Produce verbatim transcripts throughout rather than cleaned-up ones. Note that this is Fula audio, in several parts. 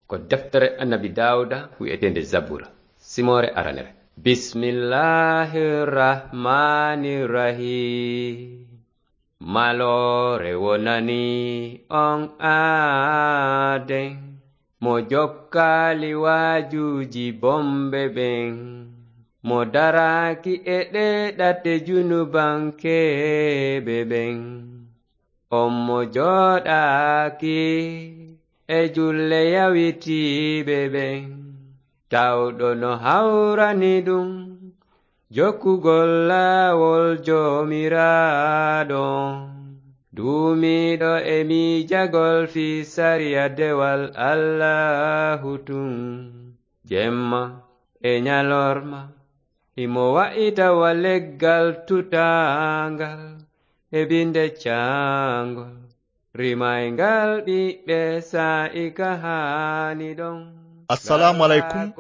Ko deftere Annabi Daawuda wi'eteende Zabura, simoore aranere. Bismillahir Rahmanir Rahim. Maloore wonani on aaden, mo jokkaali waajuuji bomɓe ɓen, mo daraaki e ɗee ɗate junubankeeɓe ɓen. On mo jooɗaaki e julle yawitiiɓe ɓen, tawɗo no hawrani ɗum jokkugol laawol Joomiraaɗo on. Duumiiɗo e miijagol fii sariya dewal Allaahu tun, jemma e ɲalorma, himo wa'ita wa leggal tutaangal e binde caangol, rimayngal ɓiɓɓe saa'i ka haani ɗon. Assalaamu aleykum.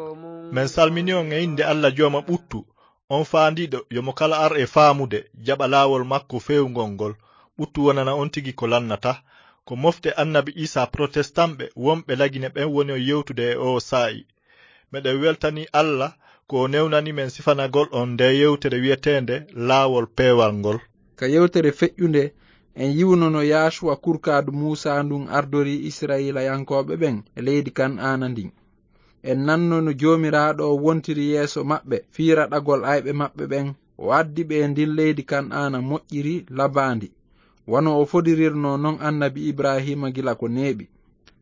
Men salmini on e innde Alla Jooma ɓuttu, on faandiiɗo yo mo kala ar e faamude, jaɓa laawol makko feewngol ngol. Ɓuttu wonana on tigi ko lannata. Ko mofte Annabi Iisaa Protestamɓe wonɓe Lagine ɓen woni on yewtude e oo saa'i. Meɗen weltanii Alla ko o newnani men sifanagol on ndee yewtere wi'eteende Laawol Peewal ngol. Ka yewtere feƴƴunde, en yi'uno no Yaasuwa kurkaadu Muusaa ndun ardorii Isra'iilayankooɓe ɓen e leydi Kan'aana ndin. En nanno no Joomiraaɗo on wontiri yeeso maɓɓe fii raɗagol ayɓe maɓɓe ɓen, o addi ɓe e ndin leydi Kan'aana moƴƴiri labaandi, wano o fodirirnoo non Annabi Ibraahiima gila ko neeɓi.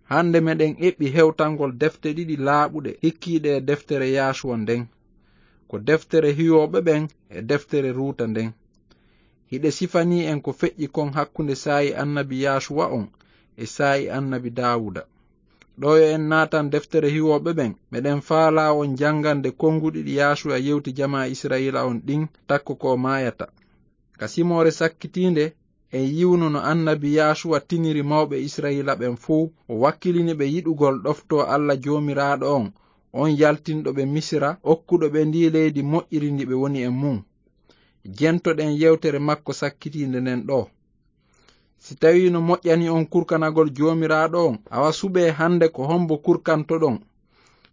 Hande meɗen eɓɓi hewtangol defte ɗiɗi laaɓuɗe hikkiiɗe e deftere Yaasuwa nden. Ko deftere Hiwooɓe ɓen e deftere Ruuta nden. Hiɗe sifanii en ko feƴƴi kon hakkunde saa'i Annabi Yaasuwa on e saa'i Annabi Daawuda. Ɗoo yo en naatan deftere Hiwooɓe ɓen, meɗen faalaa on jangande konguɗi ɗi Yaasuwa yewti jamaa Isra'iila on ɗin takko ko maayata. Ka simoore sakkitiinde, en yi'uno no Annabi Yaasuwa tiniri mawɓe Isra'iila ɓen fow, o wakkilini ɓe yiɗugol ɗoftoo Alla Joomiraaɗo on, on yaltinɗo ɓe Misira, okkuɗo ɓe ndii leydi moƴƴiri ndi ɓe woni e mun. Jentoɗen yewtere makko sakkitiinde nden ɗoo. Si tawii no moƴƴani on kurkanagol Joomiraaɗo on, awa suɓee hande ko hombo kurkantoɗon.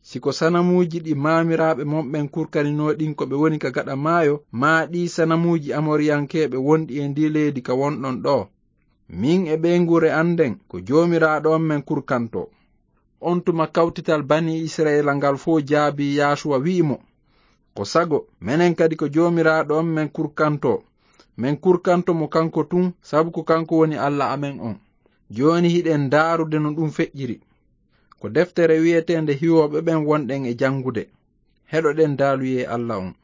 Si ko sanamuuji ɗi maamiraaɓe mon ɓen kurkaninoo ɗin ko ɓe woni ka gaɗa maayo, maa ɗii sanamuuji Amoriyankeeɓe wonɗi e ndii leydi ka wonɗon ɗoo. Min e ɓeynguure an nden, ko Joomiraaɗo on men kurkantoo. On tuma kawtital Banii Isra'iila ngal fow jaabii Yaasuwa wi'i mo, "Ko sago, menen kadi ko Joomiraaɗo on men kurkantoo. Men kurkanto mo kanko tun, sabu ko kanko woni Alla amen on." Jooni hiɗen ndaarude no ɗum feƴƴiri. Ko deftere wi'eteende Hiwooɓe ɓen wonɗen e janngude. Heɗoɗen daaluyee Alla on.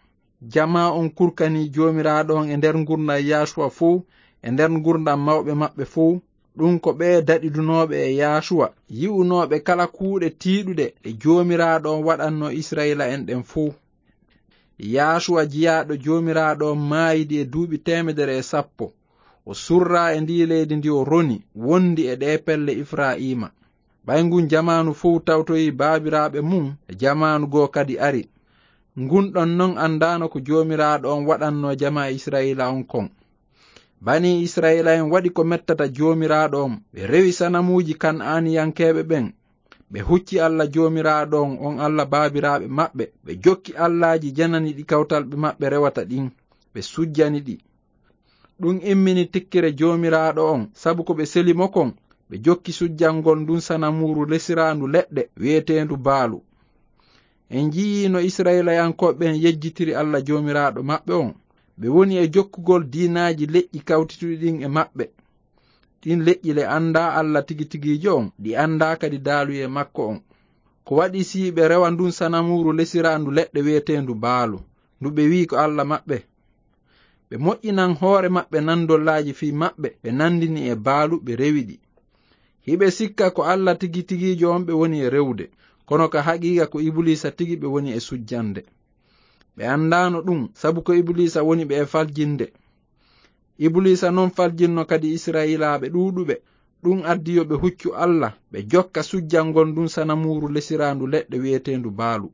Jamaa on kurkanii Joomiraaɗo on e nder ngurndan Yaasuwa fow, e nder ngurndan mawɓe maɓɓe fow. Ɗum ko ɓee daɗidunooɓe e Yaasuwa, yi'unooɓe kala kuuɗe tiiɗuɗe ɗe Joomiraaɗo on waɗannoo Isra'iila'en ɗen fow. Yaasuwa jiyaaɗo Joomiraaɗo on maayidi e duuɓi teemedere e sappo. O surraa e ndii leydi ndi o roni, wondi e ɗee pelle Efrayiima. Ɓay ngun jamaanu fow tawtoyii baabiraaɓe mun, e jamaanu goo kadi ari. Ngun ɗon non anndaano ko Joomiraaɗo on waɗannoo jamaa Isra'iila on kon. Banii Isra'iila'en waɗi ko mettata Joomiraaɗo on, ɓe rewi sanamuuji Kan'aaniyankeeɓe ɓen. Ɓe hucci Alla Joomiraaɗo on, on Alla baabiraaɓe maɓɓe, ɓe jokki allaaji janani ɗi kawtalɓe maɓɓe rewata ɗin, ɓe sujjani ɗi. Ɗum immini tikkere Joomiraaɗo on, sabu ko ɓe seli mo kon, ɓe jokki sujjangol ndun sanamuuru lesiraandu leɗɗe wi'eteendu Baalu. En njiyii no Isra'iilayankooɓe ɓen yejjitiri Alla Joomiraaɗo maɓɓe on. Ɓe woni e jokkugol diinaaji leƴƴi kawtituɗi ɗin e maɓɓe. Ɗin leƴƴi le anndaa Alla tigi tigiijo on, ɗi anndaa kadi daaluyee makko on. Ko waɗi si ɓe rewa ndun sanamuuru lesiraandu leɗɗe wi'eteendu Baalu, ndu ɓe wi'i ko Alla maɓɓe? Ɓe moƴƴinan hoore maɓɓe nandollaaji fii maɓɓe, ɓe nandini e Baalu, ɓe rewi ɗi. Hiɓe sikka ko Alla tigi tigiijo on ɓe woni e rewude, kono ka haqiiqa ko Ibuliisa tigi ɓe woni e sujjande. Ɓe anndaano ɗum, sabu ko Ibuliisa woni ɓe e faljinde. Ibuliisa non faljinno kadi Isra'iilaaɓe ɗuuɗuɓe. Ɗum addi yo ɓe huccu Alla, ɓe jokka sujjangol ndun sanamuuru lesiraandu leɗɗe wi'eteendu Baalu.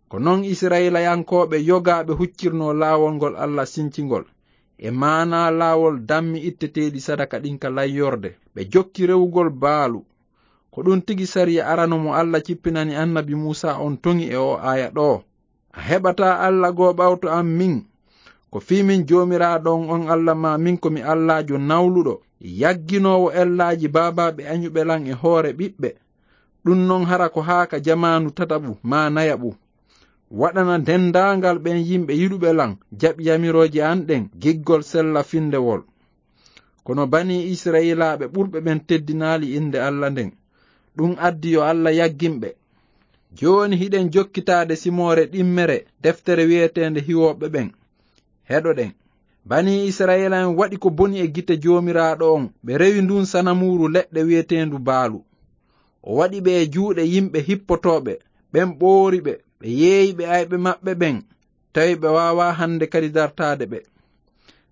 Ko non Isra'iilayankooɓe yogaaɓe huccirnoo laawol ngol Alla sincingol, e maanaa laawol dammi itteteeɗi sadaka ɗin ka layyorde. Ɓe jokki rewugol Baalu. Ko ɗum tigi sariya arano mo Alla cippinani annabi Muusa on toŋi e o aaya ɗoo. A heɓataa Alla goo ɓawto am min. Ko fii min Joomiraaɗo on, on Alla maa min ko mi Allaajo nawluɗo, yagginoowo ellaaji baabaaɓe añuɓe lan e hoore ɓiɓɓe. Ɗum non hara ko haa ka jamaanu tataɓu maa nayaɓu. Waɗana denndaangal ɓen yimɓe yiɗuɓe lan jaɓi yamirooje an ɗen giggol sella findewol. Kono banii Isra'iilaaɓe ɓurɓe ɓen teddinaali innde Alla nden. Ɗum addi yo Alla yaggin ɓe. Jooni hiɗen jokkitaade simoore ɗimmere deftere wi'eteende Hiwooɓe ɓen. Heɗoɗen. Banii Isra'iila'en waɗi ko boni e gite Joomiraaɗo on, ɓe rewi ndun sanamuuru leɗɗe wi'eteendu Baalu. O waɗi ɓe e juuɗe yimɓe hippotooɓe, ɓen ɓoori ɓe, ɓe yeeyi ɓe ayɓe maɓɓe ɓen, tawi ɓe waawaa hande kadi dartaade ɓe.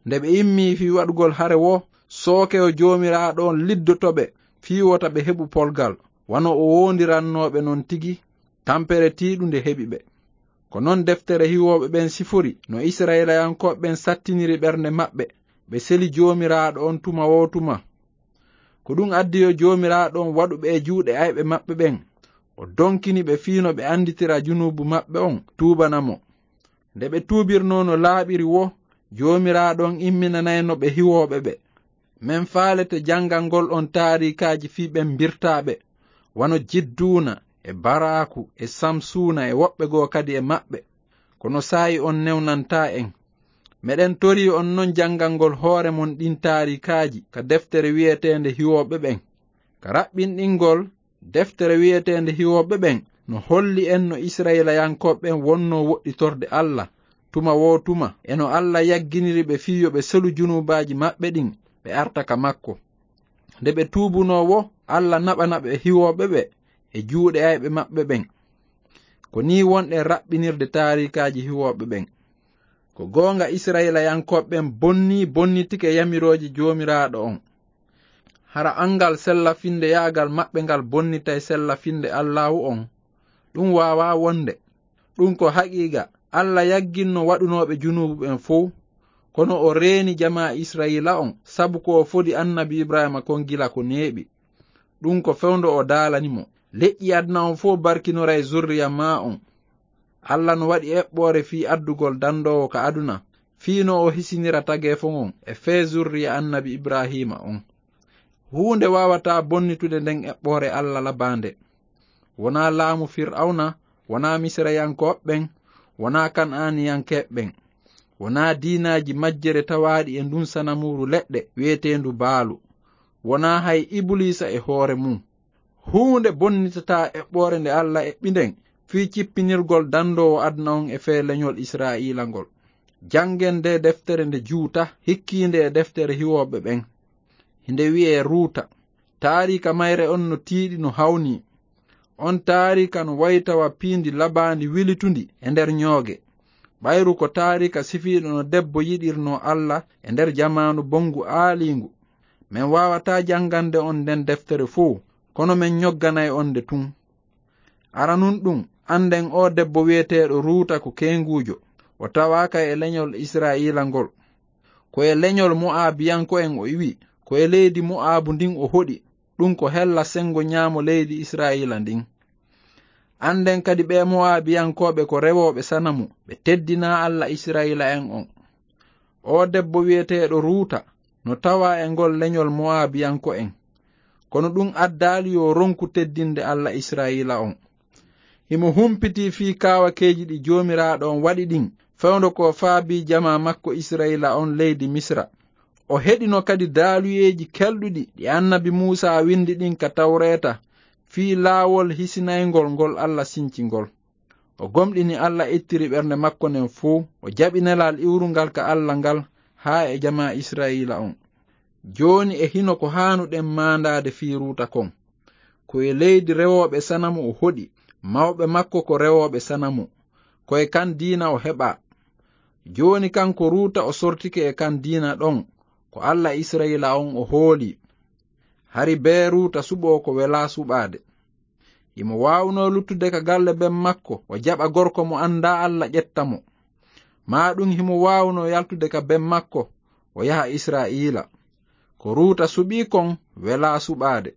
Nde ɓe immii fii waɗugol hare woo, sookewo Joomiraaɗo on liddoto ɓe fii wota ɓe heɓu polgal, wano o woondirannoo ɓe non tigi, tampere tiiɗunde heɓi ɓe. Ko non deftere Hiwooɓe ɓen sifori no Isra'iilayankooɓe ɓen sattiniri ɓernde maɓɓe, ɓe seli Joomiraaɗo on tuma woo tuma. Ko ɗum addi yo Joomiraaɗo on waɗu ɓe e juuɗe ayɓe maɓɓe ɓen, o donkini ɓe fii no ɓe anditira junuubu maɓɓe on, tuubana mo. Nde ɓe tuubirnoo no laaɓiri woo, Joomiraaɗo on imminanayno ɓe Hiwooɓe ɓe. Men faalete jangangol on taariikaaji fii ɓen mbirtaaɓe, wano Jidduuna, e Baraaku, e Samsuuna, e woɓɓe goo kadi e maɓɓe. Kono saa'i on newnantaa en. Meɗen torii on non jangangol hoore mon ɗin taariikaaji ka deftere wi'eteende Hiwooɓe ɓen. Ka raɓɓinɗingol, deftere wi'eteende Hiwooɓe ɓen no holli en no Isra'iilayankooɓe ɓen wonnoo woɗɗitorde Alla tuma woo tuma, e no Alla yagginiri ɓe fii yo ɓe selu junuubaaji maɓɓe ɗin, ɓe arta ka makko. Nde ɓe tuubunoo woo, Alla naɓana ɓe Hiwooɓe ɓe e juuɗe ayɓe maɓɓe ɓen. Ko nii wonɗen raɓɓinirde taariikaaji Hiwooɓe ɓen. Ko goonga, Isra'iilayankooɓe ɓen bonnii, bonnitike yamirooje Joomiraaɗo on. Hara angal sella-finndeyaagal maɓɓe ngal bonnitay sella-finnde Allaahu on? Ɗum waawaa wonde. Ɗum ko haqiiqa, Alla yagginno waɗunooɓe junuubu ɓen fow, kono o reeni jamaa Isra'iila on, sabu ko o fodi annabi Ibraahiima kon gila ko neeɓi. Ɗum ko fewndo o daalani mo, "Leƴƴi aduna on fow barkinoray zurriya maa on." Alla no waɗi eɓɓoore fii addugol dandoowo ka aduna, fii no o hisinira tageefo ngon e fee zurriya annabi Ibraahiima on. Huunde waawataa bonnitude nden eɓɓoore Alla labaande. Wonaa laamu Fir'awna, wonaa Misirayankooɓe ɓen, wonaa Kan'aaniyankeeɓe ɓen, wonaa diinaaji majjere tawaaɗi e ndun sanamuuru leɗɗe wi'eteendu Baalu, wonaa hay Ibuliisa e hoore mun. Huunde bonnitataa eɓɓoore nde Alla eɓɓi nden fii cippinirgol dandoowo aduna on e fee leñol Israa'iila ngol. Janngen ndee deftere nde juuta, hikkiinde e deftere Hiwooɓe ɓen. Hinde wi'ee Ruuta. Taariika mayre on no tiiɗi, no hawnii. On taariika no wayi tawa piindi labaandi wilitundi e nder ñooge. Ɓayru ko taariika sifiiɗo no debbo yiɗirnoo Alla e nder jamaanu bonngu aaliingu. Men waawataa janngande on nden deftere fow, kono men ñogganay on nde tun. Aranun ɗum, annden oo debbo wi'eteeɗo Ruuta ko keenguujo. O tawaaka e leñol Israa'iila ngol. Ko e leñol Mo'aabiyanko'en o iwi, ko e leydi Mo'aabu ndin o hoɗi. Ɗum ko hella senngo ñaamo leydi Israa'iila ndin. Annden kadi ɓee Mo'aabiyankooɓe ko rewooɓe sanamu, ɓe teddinaa Alla Israa'iila'en on. Oo debbo wi'eteeɗo Ruuta no tawaa e ngol leñol Mo'aabiyanko'en. Kono ɗum addaali yo ronku teddinde Alla Israa'iila on. Himo humpitii fii kaawakeeji ɗi Joomiraaɗo on waɗi ɗin, fewndo ko faabii jamaa makko Israa'iila on leydi Misira. O heɗino kadi daaluyeeji kelɗuɗi ɗi annabi Muusaa windi ɗin ka Tawreeta fii laawol hisinayngol ngol Alla sinci ngol. O gomɗini Alla ittiri ɓernde makko nden fow, o jaɓi nelal iwrungal ka Alla ngal haa e jamaa Israa'iila on. Jooni e hino ko haanuɗen maandaade fii Ruuta kon. Ko e leydi rewooɓe sanamu o hoɗi, mawɓe makko ko rewooɓe sanamu. Ko e kan diina o heɓaa. Jooni kanko Ruuta o sortike e kan diina ɗon, ko Alla Israa'iila on o hoolii. Hari bee Ruuta suɓoo ko welaa suɓaade. Himo waawunoo luttude ka galle ben makko, o jaɓa gorko mo anndaa Alla ƴetta mo. Maa ɗum himo waawunoo yaltude ka ben makko, o yaha Israa'iila. Ko Ruuta suɓii kon welaa suɓaade.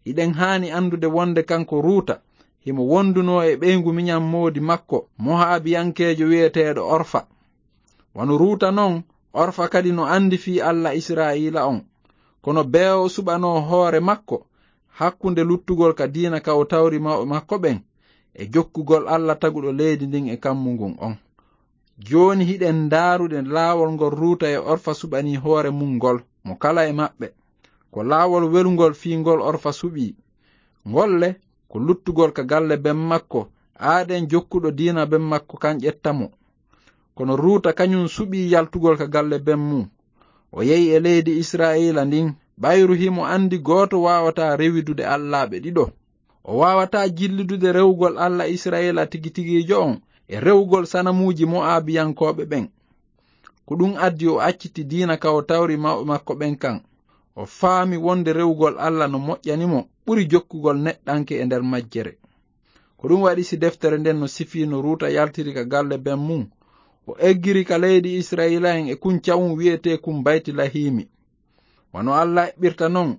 Hiɗen haani anndude wonde kanko Ruuta himo wondunoo e ɓeyngu miɲan moodi makko, Mo'abiyankeejo wi'eteeɗo Orfa. Wano Ruuta non, Orfa kadi no anndi fii Alla Israa'iila on. Kono bee o suɓanoo hoore makko hakkunde luttugol ka diina ka o tawri mawɓe makko ɓen e jokkugol Alla taguɗo leydi ndin e kammu ngun on. Jooni hiɗen ndaarude laawol ngol Ruuta e Orfa suɓanii hoore mun ngol, mo kala e maɓɓe. Ko laawol welungol fii ngol Orfa suɓii. Ngol le, ko luttugol ka galle ben makko, aaden jokkuɗo diina ben makko kan ƴetta mo. Kono Ruuta kaɲun suɓii yaltugol ka galle ben mun. O yehi e leydi Israa'iila ndin, ɓayru himo anndi gooto waawataa rewidude allaaɓe ɗiɗo. O waawataa jillidude rewugol Alla Israa'iila tigi tigiijo on e rewugol sanamuuji Mo'abiyankooɓe ɓen. Ko ɗun addi o acciti diina ka o tawri mawɓe makko ɓen kan. O faami wonde rewugol Alla no moƴƴani mo ɓuri jokkugol neɗɗanke e nder majjere. Ko ɗun waɗi si deftere nden no sifii no Ruuta yaltiri ka galle ben mun, o eggiri ka leydi Israa'iila'en e kun ca'un wi'etee kun Baytilahiimi. Wano Alla eɓɓirta non,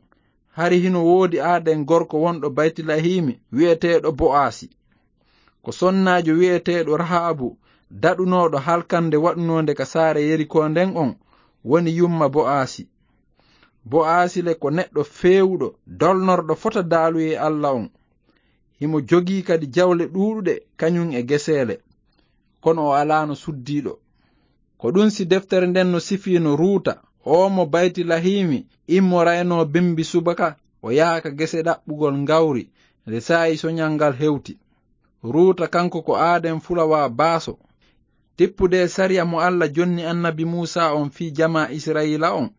hari hino woodi aaden gorko wonɗo Baytilahiimi wi'eteeɗo Bo'aasi. Ko sonnaajo wi'eteeɗo Rahaabu, daɗunooɗo halkannde waɗunoonde ka saare Yerikoo nden on, woni yumma Bo'aasi. Bo'aasi le ko neɗɗo feewuɗo, dolnorɗo fota daaluyee Alla on. Himo jogii kadi jawle ɗuuɗuɗe kaɲun e geseele, kono o alaano suddiiɗo. Ko ɗun si deftere nden no sifii no Ruuta, oo mo Baytilahiimi immoraynoo bimbi subaka, o yaha ka gese ɗaɓɓugol ngawri, nde saa'i soɲal ngal hewti. Ruuta kanko ko aaden fulawaa baaso. Tippude e sariya mo Alla jonni annabi Muusaa on fii jamaa Israa'iila on,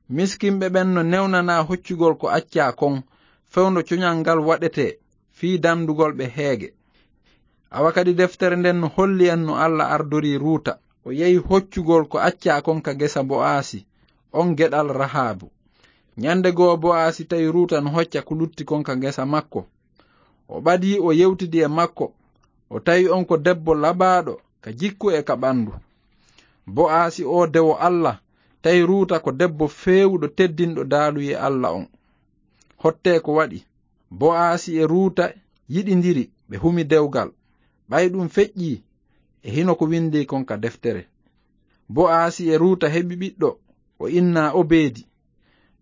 miskinɓe ɓen no newnanaa hoccugol ko accaa kon, fewndo coɲal ngal waɗetee fii dandugol ɓe heege. Awa kadi deftere nden no holli en no Alla ardorii Ruuta. O yehi hoccugol ko accaa kon ka gesa Bo'aasi, on geɗal Rahaabu. Ɲande goo Bo'aasi tawi Ruuta no hocca ko lutti kon ka gesa makko. O ɓadii o yewtidi e makko. O tawi on ko debbo labaaɗo ka jikku e ka ɓandu. Bo'aasi oo dewo Alla tawi Ruuta ko debbo feewuɗo teddinɗo daaluyee Alla on. Hottee ko waɗi. Bo'aasi e Ruuta yiɗindiri, ɓe humi dewgal. Ɓay ɗun feƴƴii, e hino ko windii kon ka deftere. Bo'aasi e Ruuta heɓi ɓiɗɗo, o innaa Obeedi.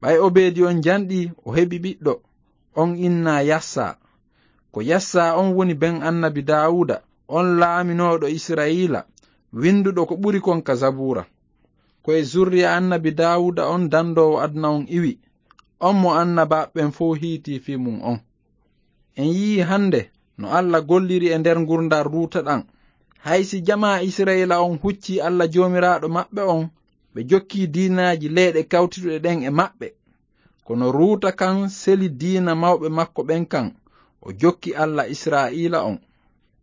Ɓay Obeedi on janɗii, o heɓi ɓiɗɗo, on innaa Yassaa. Ko Yassaa on woni ben annabi Daawuda, on laaminooɗo Israa'iila, winduɗo ko ɓuri kon ka Zabuura. Ko e zurriya annabi Daawuda on dandoowo aduna on iwi, on mo annabaaɓe ɓen fow hiitii fii mun on. En yi'ii hande no Alla golliri e nder ngurndan Ruuta ɗan. Hay si jamaa Israa'iila on huccii Alla Joomiraaɗo maɓɓe on, ɓe jokkii diinaaji leyɗe kawtiduɗe ɗen e maɓɓe. Kono Ruuta kan seli diina mawɓe makko ɓen kan, o jokki Alla Israa'iila on.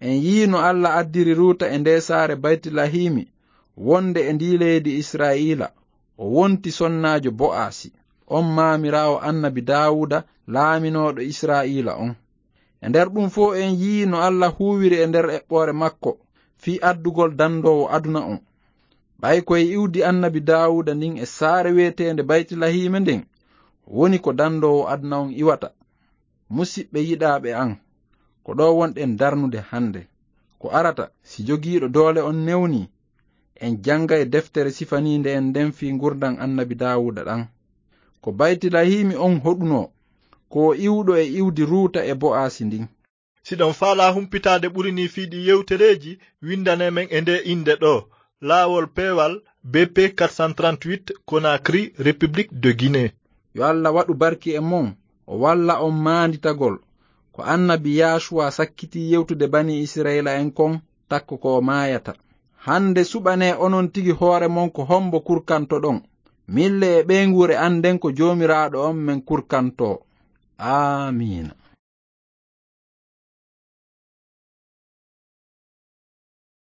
En yi'ii no Alla addiri Ruuta e ndee saare Baytilahiimi, wonde e ndii leydi Israa'iila, o wonti sonnaajo Bo'aasi, on maamiraawo annabi Daawuda, laaminooɗo Israa'iila on. E nder ɗun fow en yi'ii no Alla huuwiri e nder eɓɓoore makko fii addugol dandoowo aduna on. Ɓay ko e iwdi annabi Daawuda ndin e saare wi'eteende Baytilahiima nden woni ko dandoowo aduna on iwata. Musiɓɓe yiɗaaɓe an, ko ɗoo wonɗen darnude hande. Ko arata, si jogiiɗo doole on newnii, en janngay deftere sifaniinde en nden fii ngurndan annabi Daawuda ɗan. Ko Baytilahiimi on hoɗunoo, ko o iwɗo e iwdi Ruuta e Bo'aasi ndin. Si ɗon faalaa humpitaade ɓuri nii fii ɗii yewtereeji, winndane men e ndee innde ɗoo, Laawol Peewal, B P quatre cent trente-huit, Conakry, République de Guinée. Yo Alla waɗu barki e mon, o walla on maanditagol ko annabi Yaasuwa sakkitii yewtude banii Israa'iila'en kon, takko ko o maayata. Hande suɓanee onon tigi hoore mon ko hombo kurkantoɗon. Mille e ɓeynguure annden ko Joomiraaɗo on men kurkantoo. Aamiina.